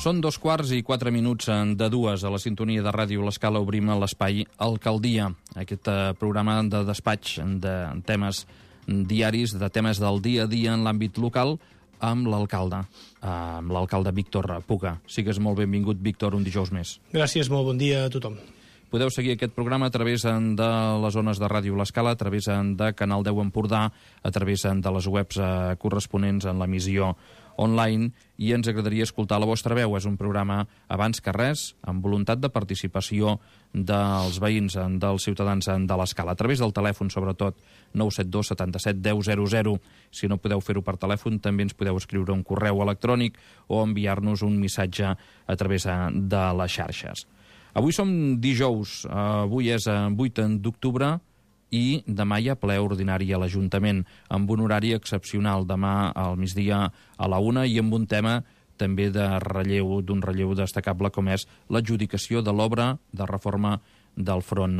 Són 2:04 de dues. A la sintonia de Ràdio L'Escala obrim l'espai Alcaldia, aquest programa de despatx de temes diaris, de temes del dia a dia en l'àmbit local, amb l'alcalde Víctor Puga. Sigues molt benvingut, Víctor, un dijous més. Gràcies, molt bon dia a tothom. Podeu seguir aquest programa a través de les zones de Ràdio L'Escala, a través de Canal 10 Empordà, a través de les webs corresponents en l'emissió online, i ens agradaria escoltar la vostra veu. És un programa, abans que res, amb voluntat de participació dels veïns, dels ciutadans de l'Escala, a través del telèfon, sobretot, 972 77 10 00. Si no podeu fer-ho per telèfon, també ens podeu escriure un correu electrònic o enviar-nos un missatge a través de les xarxes. Avui som dijous, avui és 8 d'octubre, i demà hi ha ple ordinari a l'Ajuntament, amb un horari excepcional, demà al migdia a la 1, i amb un tema també d'un relleu destacable, com és l'adjudicació de l'obra de reforma del front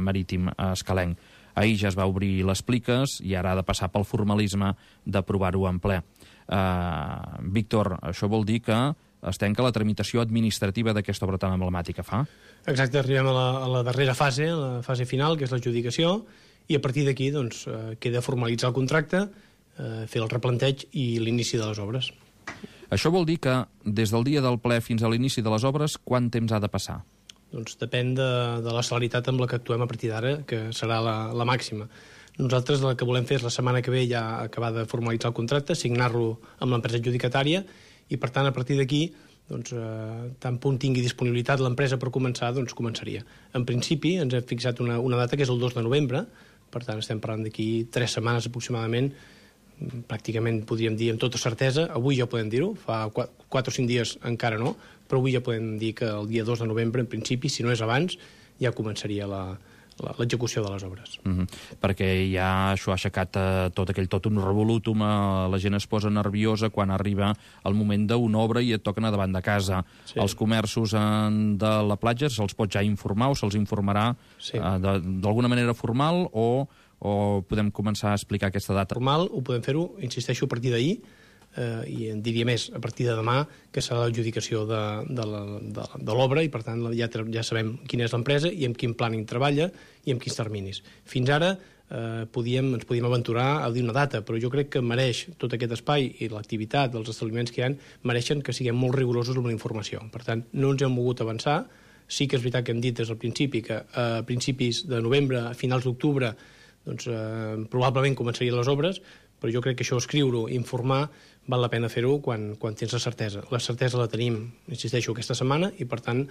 marítim escalenc. Ahir ja es va obrir les pliques i ara ha de passar pel formalisme d'aprovar-ho en ple. Víctor, això vol dir que es tanca la tramitació administrativa d'aquesta obra tan emblemàtica, fa? Exacte, arribem a la darrera fase, la fase final, que és l'adjudicació, i a partir d'aquí queda formalitzar el contracte, fer el replanteig i l'inici de les obres. Això vol dir que des del dia del ple fins a l'inici de les obres, quant temps ha de passar? Doncs depèn de la celeritat amb la que actuem a partir d'ara, que serà la màxima. Nosaltres el que volem fer és la setmana que ve ja acabar de formalitzar el contracte, signar-lo amb l'empresa adjudicatària, i per tant a partir d'aquí tant punt tingui disponibilitat l'empresa per començar, començaria. En principi ens hem fixat una data que és el 2 de novembre, per tant estem parlant d'aquí 3 setmanes aproximadament, pràcticament podríem dir amb tota certesa. Avui ja podem dir-ho, fa 4 o 5 dies encara no, però avui ja podem dir que el dia 2 de novembre, en principi, si no és abans, ja començaria l'execució de les obres. Perquè ja això ha aixecat tot un revolutum, la gent es posa nerviosa quan arriba el moment d'una obra i et toquen a davant de casa. Sí. Els comerços de la platja se'ls pot ja informar o se'ls informarà d'alguna manera formal, o podem començar a explicar aquesta data? Formal ho podem fer-ho, insisteixo, a partir d'ahir, i en diria més, a partir de demà, que serà l'adjudicació de l'obra, i per tant ja sabem quina és l'empresa i amb quin planning treballa i amb quins terminis. Fins ara ens podíem aventurar a dir una data, però jo crec que mereix tot aquest espai i l'activitat dels establiments que hi ha, mereixen que siguem molt rigorosos amb la informació. Per tant, no ens hem mogut avançar. Sí que és veritat que hem dit des del principi que a principis de novembre, a finals d'octubre, probablement començarien les obres, però jo crec que això, escriure-ho, informar, val la pena fer-ho quan tens la certesa. La certesa la tenim, insisteixo, aquesta setmana, i per tant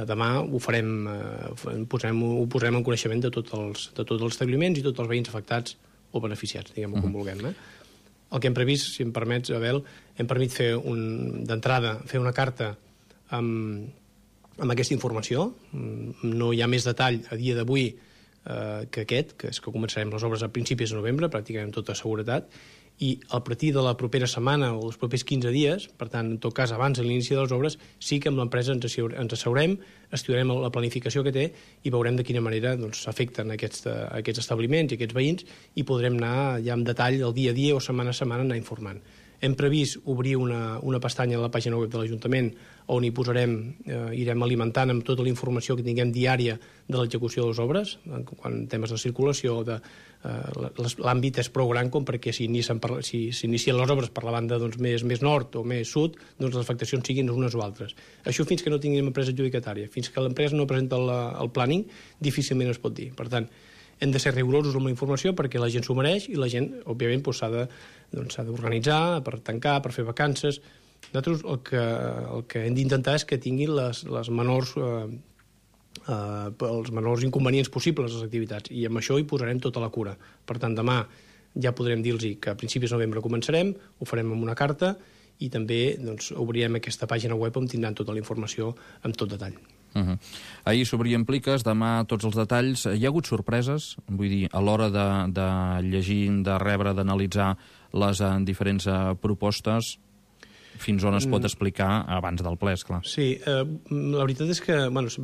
demà ho farem, ho posarem en coneixement de tots els establiments i tots els veïns afectats o beneficiats, diguem-ho com vulguem. El que hem previst, si em permets, Abel, hem permès d'entrada fer una carta amb aquesta informació. No hi ha més detall a dia d'avui que és que començarem les obres a principis de novembre, pràcticament amb tota seguretat, i a partir de la propera setmana o els propers 15 dies, per tant, en tot cas, abans de l'inici de les obres, sí que amb l'empresa ens asseurem, estudiarem la planificació que té i veurem de quina manera s'afecten aquests establiments i aquests veïns, i podrem anar ja en detall el dia a dia o setmana a setmana anar informant. Hem previst obrir una pestanya a la pàgina web de l'Ajuntament on hi irem alimentant amb tota la informació que tinguem diària de l'execució de les obres, en temes de circulació, l'àmbit és prou gran com perquè si s'inicien les obres per la banda més nord o més sud, les afectacions siguin unes o altres. Això fins que no tinguem empresa adjudicatària, fins que l'empresa no presenta el planning, difícilment es pot dir. Per tant, hem de ser rigorosos amb la informació perquè la gent s'ho mereix i la gent, òbviament, s'ha d'organitzar per tancar, per fer vacances. Nosaltres el que hem d'intentar és que tinguin els menors inconvenients possibles les activitats, i amb això hi posarem tota la cura. Per tant, demà ja podrem dir-los que a principis de novembre començarem, ho farem amb una carta, i també obrirem aquesta pàgina web on tindran tota la informació amb tot detall. Ahir s'obrien pliques, demà tots els detalls. Hi ha hagut sorpreses? Vull dir, a l'hora de llegir, de rebre, d'analitzar les diferents propostes, fins on es pot explicar abans del ple, esclar. Sí, la veritat és que es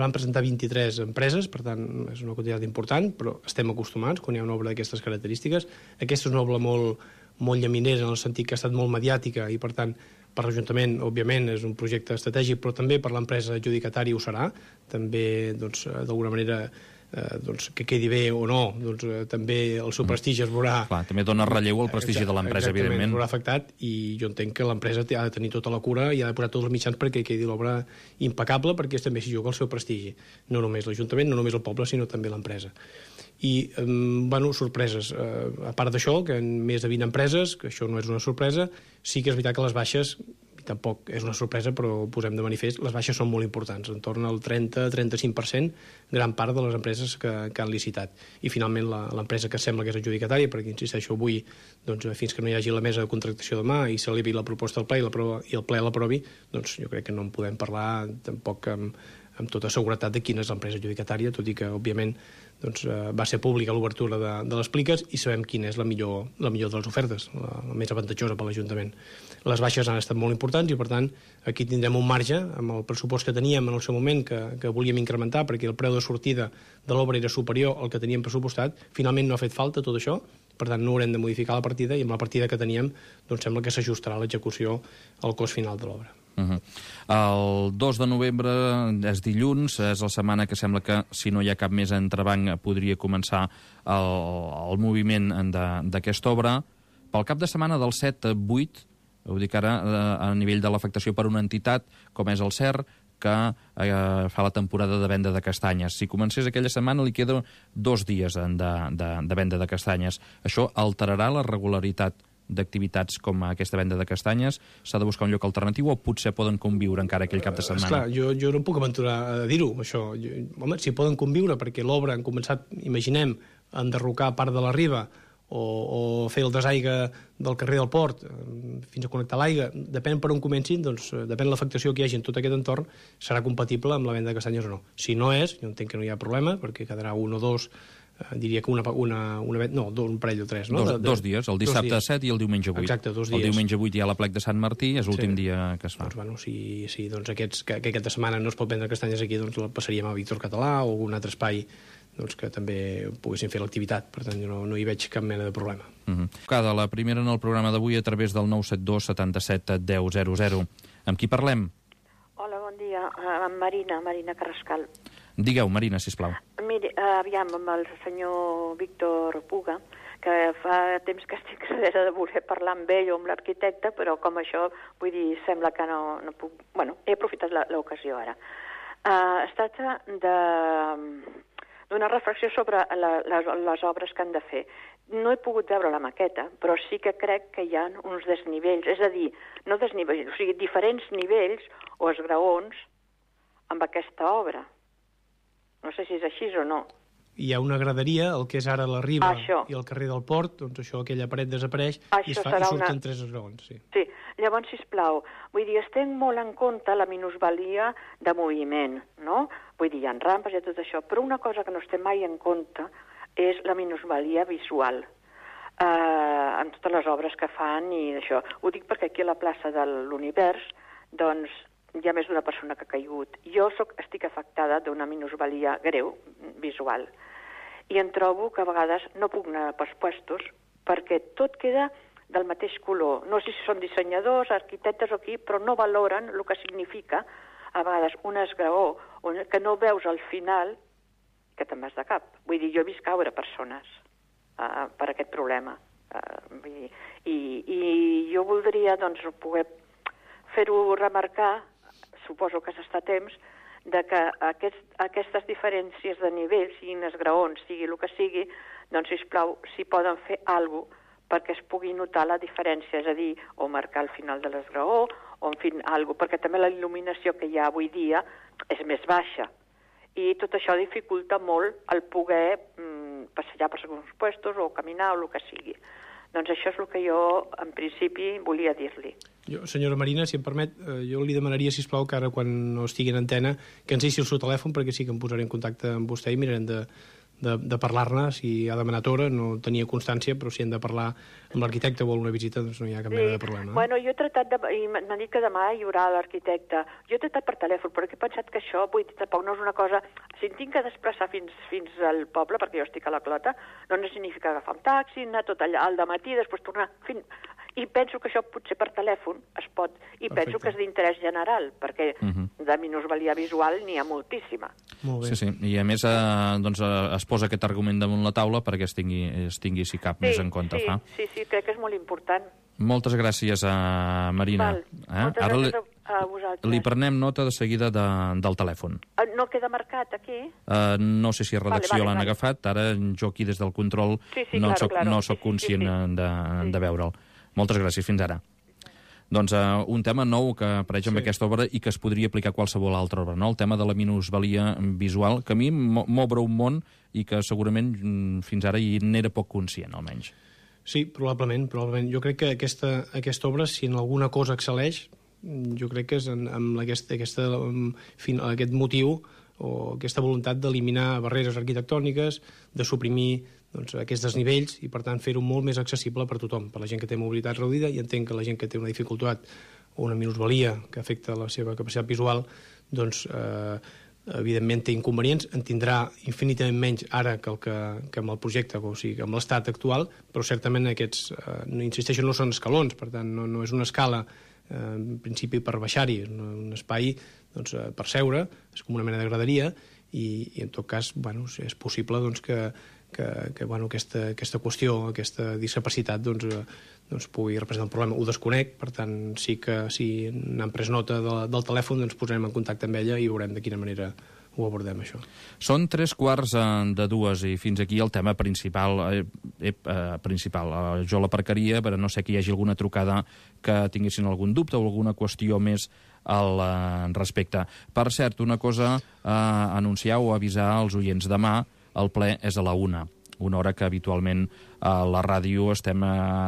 van presentar 23 empreses, per tant és una quantitat important, però estem acostumats quan hi ha una obra d'aquestes característiques. Aquesta és una obra molt llaminera, en el sentit que ha estat molt mediàtica, i per tant per l'Ajuntament, òbviament, és un projecte estratègic, però també per l'empresa adjudicatària ho serà. També, doncs, d'alguna manera, doncs, que quedi bé o no, doncs, també el seu prestigi es veurà... Clar, també dona relleu al prestigi de l'empresa, evidentment. Es veurà afectat, i jo entenc que l'empresa ha de tenir tota la cura i ha de posar tots els mitjans perquè quedi l'obra impecable, perquè també s'hi juga el seu prestigi. No només l'Ajuntament, no només el poble, sinó també l'empresa. I, bueno, sorpreses. A part d'això, que en més de 20 empreses, que això no és una sorpresa, sí que és veritat que les baixes, tampoc és una sorpresa, però ho posem de manifest, les baixes són molt importants, en torn al 30-35%, gran part de les empreses que han licitat. I finalment l'empresa que sembla que és adjudicatària, perquè insisteixo avui, doncs, fins que no hi hagi la mesa de contractació demà i s'elevi la proposta al ple i el ple l'aprovi, doncs jo crec que no en podem parlar tampoc amb tota seguretat de quina és l'empresa adjudicatària, tot i que, òbviament, doncs, va ser pública l'obertura de les pliques i sabem quina és la millor de les ofertes, la més avantatjosa per l'Ajuntament. Les baixes han estat molt importants i, per tant, aquí tindrem un marge amb el pressupost que teníem en el seu moment, que volíem incrementar perquè el preu de sortida de l'obra era superior al que teníem pressupostat. Finalment no ha fet falta tot això, per tant no haurem de modificar la partida, i amb la partida que teníem doncs sembla que s'ajustarà l'execució al cost final de l'obra. El 2 de novembre és dilluns, és la setmana que sembla que, si no hi ha cap més entrebanc, podria començar el moviment d'aquesta obra. Pel cap de setmana del 7-8, ho dic ara a nivell de l'afectació per una entitat com és el CER, que fa la temporada de venda de castanyes. Si comencés aquella setmana li queda 2 dies de venda de castanyes. Això alterarà la regularitat d'activitats com aquesta venda de castanyes? S'ha de buscar un lloc alternatiu o potser poden conviure encara aquell cap de setmana? Esclar, jo no em puc aventurar a dir-ho, això. Home, si poden conviure, perquè l'obra han començat, imaginem, a enderrocar part de la riba o fer el desaigua del carrer del Port fins a connectar l'aigua, depèn per on comencin, doncs depèn de l'afectació que hi hagi en tot aquest entorn, serà compatible amb la venda de castanyes o no. Si no és, jo entenc que no hi ha problema, perquè quedarà un o dos, diria que un parell o tres, no? Dos dies, el dissabte 7 i el diumenge 8. Exacte, 2 dies. El diumenge 8 hi ha la plec de Sant Martí, és l'últim dia que es fa. Doncs, bueno, si doncs aquesta setmana no es pot vendre castanyes aquí, doncs la passaríem a Víctor Català o algun altre espai doncs, que també poguessin fer l'activitat. Per tant, jo no hi veig cap mena de problema. Cada la primera en el programa d'avui a través del 972 77 10 00. Amb qui parlem? Hola, bon dia. Amb Marina Carrascal. Digueu, Marina, sisplau. Miri, aviam, amb el senyor Víctor Puga, que fa temps que estic darrere de voler parlar amb ell o amb l'arquitecte, però com això, vull dir, sembla que no puc... Bueno, he aprofitat l'ocasió ara. Es tracta d'una reflexió sobre les obres que han de fer. No he pogut veure la maqueta, però sí que crec que hi ha uns desnivells, és a dir, no desnivells, o sigui, diferents nivells o esgraons amb aquesta obra. No sé si és així o no. Hi ha una graderia, el que és ara la riba i el carrer del Port, doncs això, aquella paret desapareix i surten 3 esgraons. Sí, llavors, sisplau, vull dir, es té molt en compte la minusvalia de moviment, no? Vull dir, hi ha rampes i tot això, però una cosa que no es té mai en compte és la minusvalia visual en totes les obres que fan i això. Ho dic perquè aquí a la plaça de l'Univers, doncs, hi ha més d'una persona que ha caigut. Jo estic afectada d'una minusvalia greu, visual, i em trobo que a vegades no puc anar pels puestos perquè tot queda del mateix color. No sé si són dissenyadors, arquitectes o qui, però no valoren el que significa a vegades un esgraó que no veus al final que te'n vas de cap. Vull dir, jo he vist caure persones per aquest problema. I jo voldria doncs, poder fer-ho remarcar, suposo que s'està a temps, de que aquestes diferències de nivell, siguin esgraons, sigui el que sigui, doncs, sisplau, si poden fer alguna cosa perquè es pugui notar la diferència, és a dir, o marcar el final de l'esgraó, o en fi, alguna cosa, perquè també la il·luminació que hi ha avui dia és més baixa. I tot això dificulta molt el poder passejar per alguns puestos o caminar o el que sigui. Doncs això és el que jo, en principi, volia dir-li. Senyora Marina, si em permet, jo li demanaria, sisplau, que ara, quan no estigui en antena, que ens deixi el seu telèfon, perquè sí que em posaré en contacte amb vostè i mirarem de parlar-ne. Si ha demanat hora, no tenia constància, però si hem de parlar amb l'arquitecte o alguna visita, doncs no hi ha cap mena de problema. Bueno, jo he tratat i m'han dit que demà hi haurà l'arquitecte. Jo he tratat per telèfon, però he pensat que això, vull dir, tampoc no és una cosa... Si em tinc que desplaçar fins al poble, perquè jo estic a la Clota, no significa agafar un taxi, anar tot allà al dematí, després tornar... I penso que això potser per telèfon es pot, i penso que és d'interès general, perquè de minusvalia visual n'hi ha moltíssima. Molt bé. Sí, sí, i a més doncs, es posa aquest argument damunt la taula perquè es tingui si cap més en compte. Sí, crec que és molt important. Moltes gràcies, Marina. Moltes gràcies a vosaltres. Li prenem nota de seguida del telèfon. No queda marcat aquí? No sé si a redacció l'han agafat, ara jo aquí des del control no soc conscient de veure'l. Moltes gràcies, fins ara. Doncs un tema nou que apareix amb aquesta obra i que es podria aplicar a qualsevol altra obra, no? El tema de la minusvalia visual, que a mi m'obre un món i que segurament fins ara hi n'era poc conscient, almenys. Sí, probablement. Jo crec que aquesta obra, si en alguna cosa excel·leix, jo crec que és amb aquest motiu o aquesta voluntat d'eliminar barreres arquitectòniques, de suprimir aquests desnivells i, per tant, fer-ho molt més accessible per tothom, per la gent que té mobilitat reduïda, i entenc que la gent que té una dificultat o una minusvalia que afecta la seva capacitat visual, doncs, evidentment té inconvenients, en tindrà infinitament menys ara que amb el projecte, o sigui, amb l'estat actual, però certament aquests, insisteixo, no són escalons, per tant, no és una escala en principi per baixar-hi, un espai per seure, és com una mena de graderia, i en tot cas és possible que aquesta qüestió, aquesta discapacitat pugui representar un problema. Ho desconec, per tant, sí que si n'han pres nota del telèfon, ens posarem en contacte amb ella i veurem de quina manera ho abordem, això. Són 3:45 i fins aquí el tema principal. Jo l'aparcaria, però no sé que hi hagi alguna trucada que tinguessin algun dubte o alguna qüestió més al respecte. Per cert, una cosa a anunciar o avisar als oients. Demà el ple és a la 1, una hora que habitualment a la ràdio estem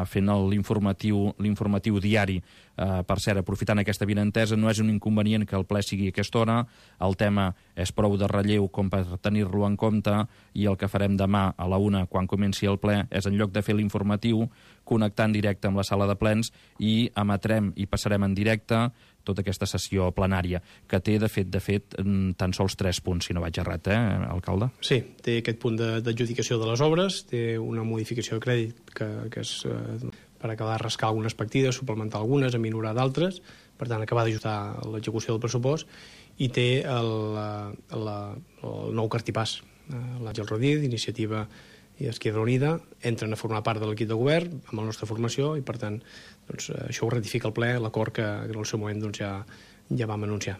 fent l'informatiu diari. Per cert, aprofitant aquesta avinentesa, no és un inconvenient que el ple sigui a aquesta hora, el tema és prou de relleu com per tenir-lo en compte, i el que farem demà a la 1, quan comenci el ple, és en lloc de fer l'informatiu, connectar en directe amb la sala de plens i emetrem i passarem en directe tota aquesta sessió plenària, que té, de fet, tan sols 3 punts, si no vaig errat, alcalde? Sí, té aquest punt d'adjudicació de les obres, té una modificació de crèdit que és per acabar de rascar algunes partides, suplementar algunes, aminorar d'altres, per tant, acabar d'ajustar l'execució del pressupost, i té el nou cartipàs. L'Àngel Rodríguez, d'Iniciativa i Esquerra Unida, entren a formar part de l'equip de govern amb la nostra formació, i per tant això ho ratifica el ple, l'acord que en el seu moment ja vam anunciar.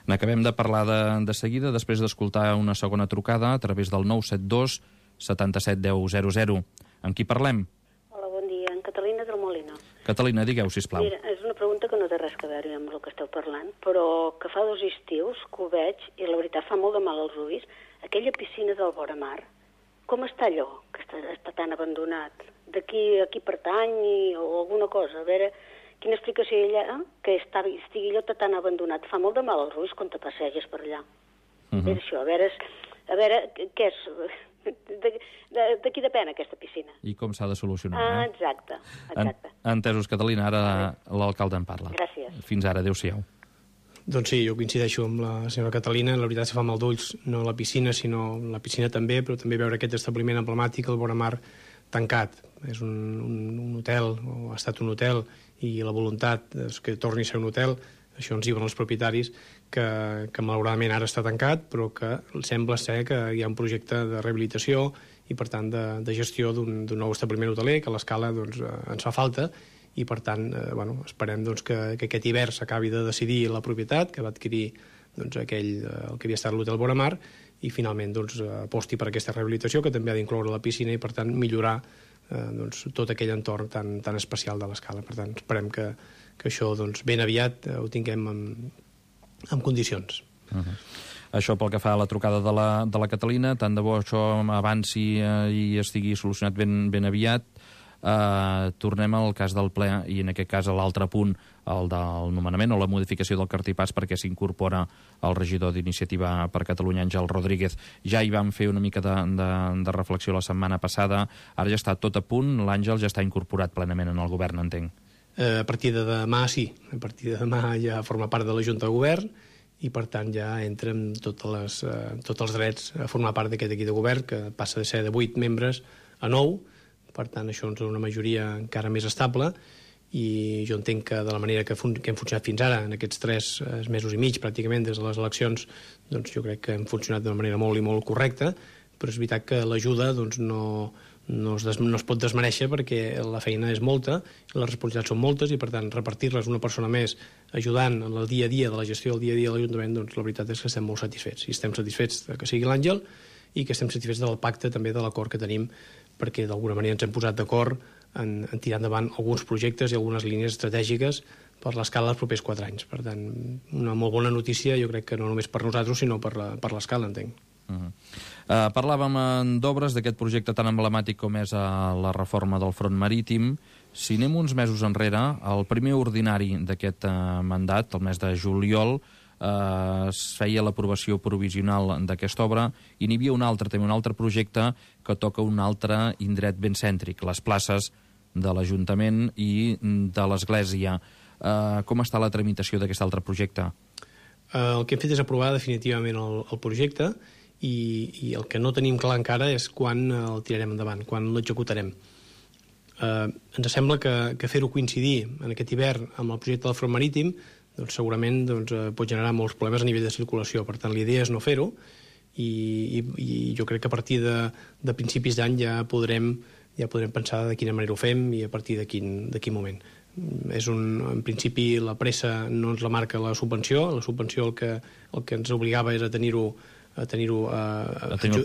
N'acabem de parlar de seguida, després d'escoltar una segona trucada a través del 972 77 10 00. Amb qui parlem? Hola, bon dia. En Catalina del Molino. Catalina, digueu, sisplau. Mira, és una pregunta que no té res a veure amb el que esteu parlant, però que fa 2 estius que ho veig i la veritat fa molt de mal als ulls. Aquella piscina del Voramar, com està allò, que està tan abandonat? A qui pertany o alguna cosa? A veure, quina explicació hi ha allà que estigui allò tan abandonat? Fa molt de mal als ulls quan te passeges per allà. A veure això, a veure què és... De qui depèn aquesta piscina? I com s'ha de solucionar. Exacte. Entesos, Catalina, ara l'alcalde en parla. Gràcies. Fins ara, adéu-siau. Doncs sí, jo coincideixo amb la senyora Catalina. La veritat, se fa mal d'ulls, no la piscina, sinó la piscina també, però també veure aquest establiment emblemàtic, el Voramar, tancat. És un hotel, o ha estat un hotel, i la voluntat és que torni a ser un hotel. Això ens diuen els propietaris, que malauradament ara està tancat, però que sembla ser que hi ha un projecte de rehabilitació i, per tant, de gestió d'un nou establiment hoteler, que a l'escala ens fa falta, i, per tant, esperem que aquest hivern s'acabi de decidir la propietat, que va adquirir el que havia estat l'hotel Voramar, i finalment aposti per aquesta rehabilitació, que també ha d'incloure la piscina i, per tant, millorar tot aquell entorn tan especial de l'escala. Per tant, esperem que això ben aviat ho tinguem en condicions. Això pel que fa a la trucada de la Catalina, tant de bo això avanci i estigui solucionat ben aviat. Tornem al cas del ple i en aquest cas a l'altre punt, el del nomenament o la modificació del cartipàs perquè s'incorpora el regidor d'Iniciativa per Catalunya, Àngel Rodríguez. Ja hi vam fer una mica de reflexió la setmana passada, ara ja està tot a punt, l'Àngel ja està incorporat plenament en el govern, entenc. A partir de demà sí, a partir de demà ja forma part de la Junta de Govern i per tant ja entra amb tots els drets a formar part d'aquest equip de govern, que passa de ser de 8 membres a 9, per tant això ens dona una majoria encara més estable i jo entenc que de la manera que hem funcionat fins ara, en aquests 3 mesos i mig, pràcticament, des de les eleccions, doncs jo crec que hem funcionat d'una manera molt i molt correcta, però és veritat que l'ajuda doncs, no es pot desmereixer perquè la feina és molta, les responsabilitats són moltes i, per tant, repartir-les una persona més ajudant en el dia a dia de la gestió del dia a dia de l'Ajuntament, doncs la veritat és que estem molt satisfets. I estem satisfets que sigui l'Àngel i que estem satisfets del pacte també de l'acord que tenim, perquè d'alguna manera ens hem posat d'acord en tirar endavant alguns projectes i algunes línies estratègiques per l'escala dels propers 4 anys. Per tant, una molt bona notícia, jo crec que no només per nosaltres, sinó per l'escala, entenc. Parlàvem d'obres d'aquest projecte tan emblemàtic com és la reforma del front marítim. Si anem uns mesos enrere, el primer ordinari d'aquest mandat, el mes de juliol, es feia l'aprovació provisional d'aquesta obra i n'hi havia un altre projecte que toca un altre indret ben cèntric, les places de l'Ajuntament i de l'Església. Com està la tramitació d'aquest altre projecte? El que hem fet és aprovar definitivament el projecte i el que no tenim clar encara és quan el tirarem endavant, quan l'executarem. Ens sembla que fer-ho coincidir en aquest hivern amb el projecte del front marítim doncs segurament pot generar molts problemes a nivell de circulació. Per tant, l'idea és no fer-ho i jo crec que a partir de principis d'any ja podrem pensar de quina manera ho fem i a partir de quin moment. En principi la pressa no ens la marca la subvenció el que ens obligava és a tenir-ho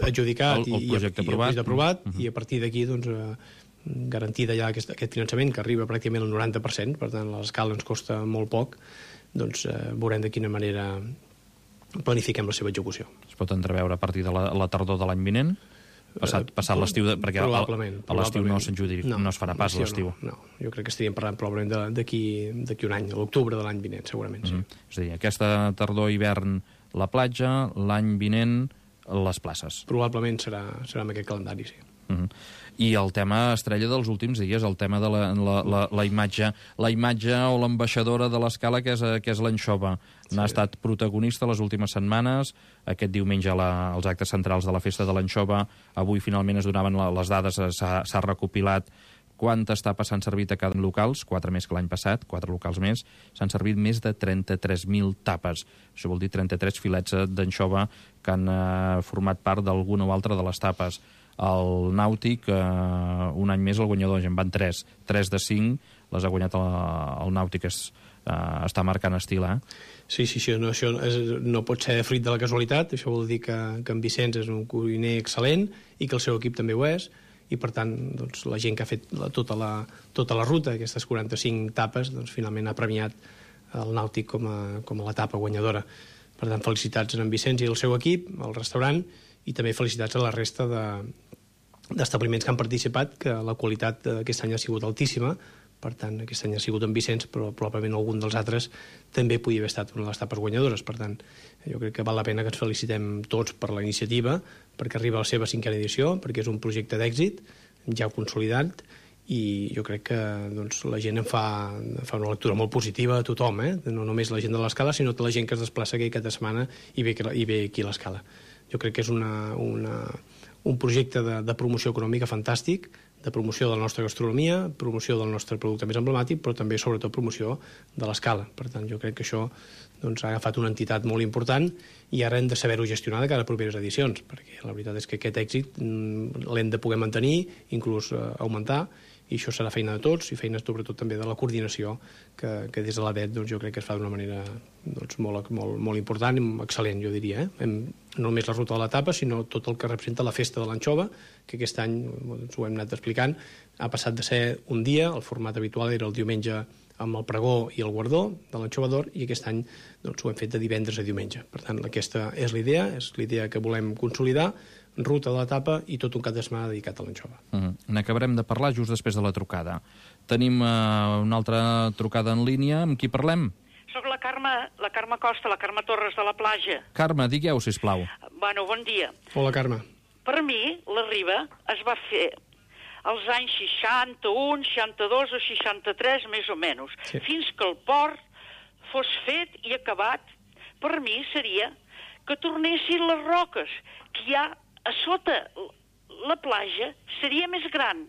adjudicat i aprovat, i a partir d'aquí garantida ja aquest finançament que arriba pràcticament al 90%, per tant l'escala ens costa molt poc, doncs veurem de quina manera planifiquem la seva execució. Es pot entreveure a partir de la tardor de l'any vinent? Passat l'estiu, perquè a l'estiu no es farà pas l'estiu. No, jo crec que estaríem parlant probablement d'aquí un any, a l'octubre de l'any vinent, segurament. És a dir, aquesta tardor-hivern la platja, l'any vinent les places. Probablement serà amb aquest calendari, sí. I el tema estrella dels últims dies, el tema de la imatge o l'ambaixadora de l'escala, que és l'anxova. N'ha estat protagonista les últimes setmanes. Aquest diumenge als actes centrals de la festa de l'anxova, avui finalment es donaven les dades, s'ha recopilat quantes tapes s'han servit a cada locals, 4 més que l'any passat, 4 locals més, s'han servit més de 33.000 tapes. Això vol dir 33 filets d'anxova que han format part d'alguna o altra de les tapes. El Nàutic, un any més el guanyador, en van 3 de 5, les ha guanyat el Nàutic, està marcant estil, Sí, això no pot ser fruit de la casualitat, això vol dir que en Vicenç és un cuiner excel·lent i que el seu equip també ho és, i per tant la gent que ha fet tota la ruta, aquestes 45 tapes, finalment ha premiat el Nàutic com a l'etapa guanyadora. Per tant, felicitats a en Vicenç i el seu equip, al restaurant, i també felicitats a la resta d'establiments que han participat, que la qualitat aquest any ha sigut altíssima. Per tant, aquest any ha sigut en Vicenç, però probablement algun dels altres també podia haver estat una de les tapes guanyadores. Per tant, jo crec que val la pena que ens felicitem tots per la iniciativa, perquè arriba a la seva 5a edició, perquè és un projecte d'èxit ja consolidat, i jo crec que la gent en fa una lectura molt positiva a tothom, no només la gent de l'escala, sinó tota la gent que es desplaça aquí cada setmana i ve aquí a l'escala. Jo crec que és un projecte de promoció econòmica fantàstic, de promoció de la nostra gastronomia, promoció del nostre producte més emblemàtic, però també, sobretot, promoció de l'escala. Per tant, jo crec que això ha agafat una entitat molt important i ara hem de saber-ho gestionar de cara a properes edicions, perquè la veritat és que aquest èxit l'hem de poder mantenir, inclús augmentar, i això serà feina de tots i feina sobretot també de la coordinació que des de l'ADET jo crec que es fa d'una manera molt important i excel·lent, jo diria. No només la ruta de l'etapa, sinó tot el que representa la festa de l'anxova, que aquest any, ho hem anat explicant, ha passat de ser un dia, el format habitual era el diumenge amb el pregó i el guardó de l'anxova d'or, i aquest any ho hem fet de divendres a diumenge. Per tant, aquesta és l'idea que volem consolidar, ruta de l'etapa i tot un cap de setmana dedicat a l'anxova. N'acabarem de parlar just després de la trucada. Tenim una altra trucada en línia. Amb qui parlem? Soc la Carme Costa, la Carme Torres de la Platja. Carme, digueu, sisplau. Bueno, bon dia. Hola, Carme. Per mi, la Riba es va fer als anys 61, 62 o 63, més o menys. Sí. Fins que el port fos fet i acabat, per mi seria que tornessin les roques, que hi ha a sota la platja seria més gran,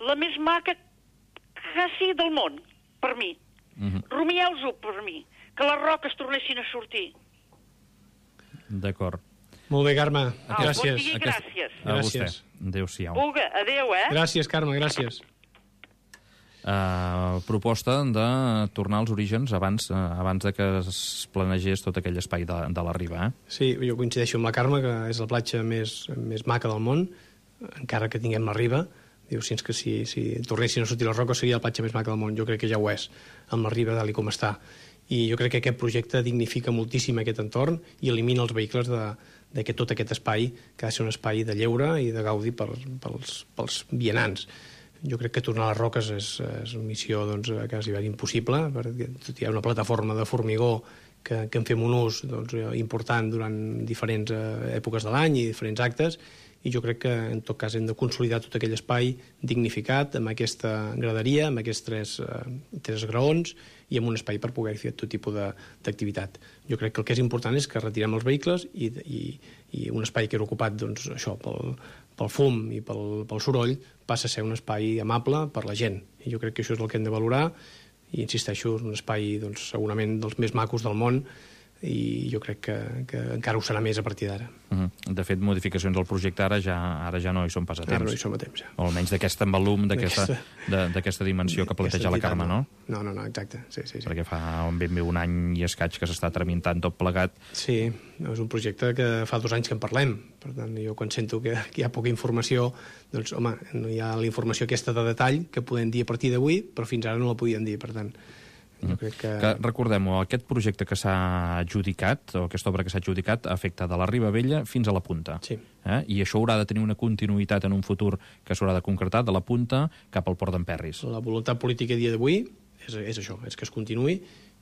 la més maca quasi del món. per mi. Rumieu-ho per mi, que les roques tornessin a sortir. D'acord. Molt bé, Carme. Gràcies. Bon dia i gràcies. A vostè. Adéu-siau. Vulga, adéu, Gràcies, Carme, gràcies. Proposta de tornar als orígens abans de que es planegés tot aquell espai de la riba. Sí, jo coincideixo amb la Carme, que és la platja més maca del món, encara que tinguem la riba. Diu, si tornessin a sortir les roques seria la platja més maca del món. Jo crec que ja ho és, amb la riba tal com està. I jo crec que aquest projecte dignifica moltíssim aquest entorn i elimina els vehicles de tot aquest espai, que ha de ser un espai de lleure i de gaudi pels vianants. Jo crec que tornar a les roques és una missió quasi impossible, perquè tot hi ha una plataforma de formigó que en fem un ús important durant diferents èpoques de l'any i diferents actes, i jo crec que en tot cas hem de consolidar tot aquell espai dignificat amb aquesta graderia, amb aquests tres graons i amb un espai per poder fer tot tipus d'activitat. Jo crec que el que és important és que retirem els vehicles i un espai que era ocupat pel fum i pel soroll passa a ser un espai amable per la gent. I jo crec que això és el que hem de valorar i, insisteixo, és un espai segurament dels més macos del món i jo crec que encara ho serà més a partir d'ara. De fet, modificacions al projecte ara ja no hi són pas a temps. Ara no hi som a temps, ja. O almenys d'aquest volum, d'aquesta dimensió que planteja la Carme, no? No, exacte. Sí. Perquè fa ben bé un any i escaig que s'està tramitant tot plegat. Sí, és un projecte que fa 2 anys que en parlem. Per tant, jo quan sento que hi ha poca informació, doncs, home, no hi ha la informació aquesta de detall que podem dir a partir d'avui, però fins ara no la podíem dir, per tant... Jo crec que recordem-ho, aquest projecte que s'ha adjudicat, o aquesta obra que s'ha adjudicat, afecta de la Riba Vella fins a la Punta. Sí. I això haurà de tenir una continuïtat en un futur que s'haurà de concretar de la Punta cap al Port d'Emperris. La voluntat política a dia d'avui és això, és que es continuï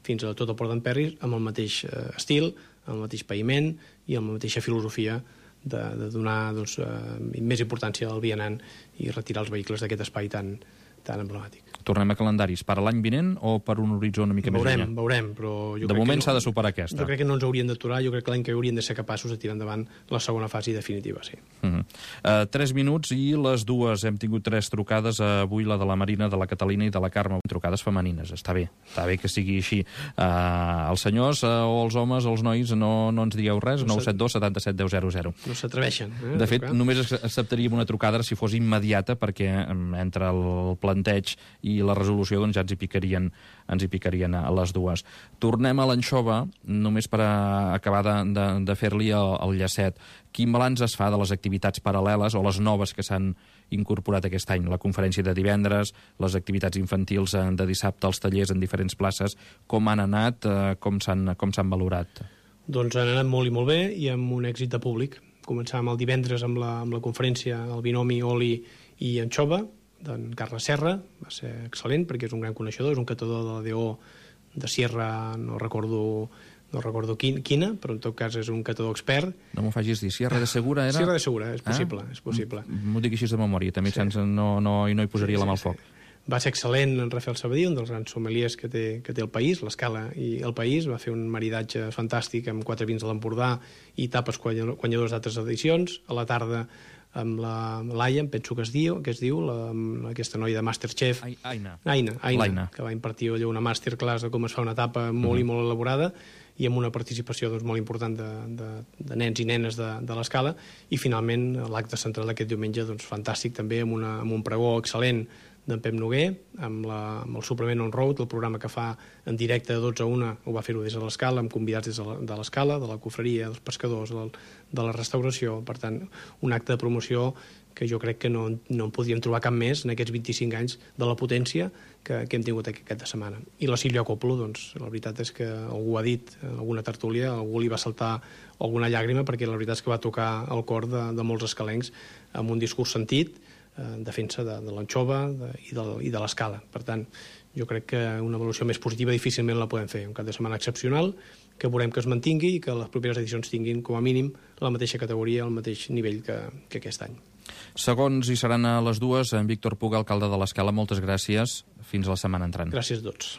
fins a tot el Port d'Emperris amb el mateix estil, amb el mateix païment i amb la mateixa filosofia de donar més importància al vianant i retirar els vehicles d'aquest espai tan emblemàtic. Tornem a calendaris per a l'any vinent o per un horitzó una mica més enllà? Veurem, però jo crec que... De moment s'ha de superar aquesta. Jo crec que no ens hauríem d'aturar, jo crec que l'any que hauríem de ser capaços de tirar endavant la segona fase definitiva, sí. 3 minuts i les 2. Hem tingut 3 trucades, avui la de la Marina, de la Catalina i de la Carme. Trucades femenines, està bé que sigui així. Els senyors o els homes o els nois no ens digueu res, 972 77 10 00. No s'atreveixen. De fet, només acceptaríem una trucada si fos immediata, perquè entre el planteig i la resolució doncs ja ens hi picarien a les 2. Tornem a l'anxova, només per acabar de fer-li el llacet. Quin balanç es fa de les activitats paral·leles o les noves que s'han incorporat aquest any? La conferència de divendres, les activitats infantils de dissabte, els tallers en diferents places, com han anat, com s'han valorat? Doncs han anat molt i molt bé i amb un èxit de públic. Començàvem el divendres amb la conferència, el binomi oli i anxova, d'en Carles Serra, va ser excel·lent perquè és un gran coneixedor, és un catador de la DO de Sierra, no recordo quina, però en tot cas és un catador expert. No m'ho facis dir, Sierra de Segura era? Sierra de Segura, és possible. M'ho dic així de memòria, també sí. No hi posaria la mà al foc. Va ser excel·lent en Rafael Sabadí, un dels grans sommeliers que té el país, l'Escala i el País, va fer un maridatge fantàstic amb 4 vins de l'Empordà i tapes guanyadors d'altres edicions. A la tarda amb la Laia, em penso que es diu, aquesta noia de Masterchef. Aina, que va impartir allò una masterclass de com es fa una tapa molt i molt elaborada i amb una participació molt important de nens i nenes de l'Escala. I finalment l'acte central d'aquest diumenge fantàstic també, amb un pregó excel·lent d'en Pep Noguer, amb el suplement on road, el programa que fa en directe de 12 a 1, ho va fer-ho des de l'Escala, amb convidats des de l'Escala, de la cofreria, dels pescadors, de la restauració. Per tant, un acte de promoció que jo crec que no en podríem trobar cap més en aquests 25 anys de la potència que hem tingut aquesta setmana. I la Sílvia Coppola, la veritat és que algú ha dit, en alguna tertúlia, algú li va saltar alguna llàgrima, perquè la veritat és que va tocar el cor de molts escalencs amb un discurs sentit, en defensa de l'anxova i de l'Escala. Per tant, jo crec que una evolució més positiva difícilment la podem fer. Un cap de setmana excepcional, que veurem que es mantingui i que les properes edicions tinguin, com a mínim, la mateixa categoria, el mateix nivell que aquest any. Segons hi seran a les 2, en Víctor Puga, alcalde de l'Escala, moltes gràcies. Fins a la setmana entrant. Gràcies a tots.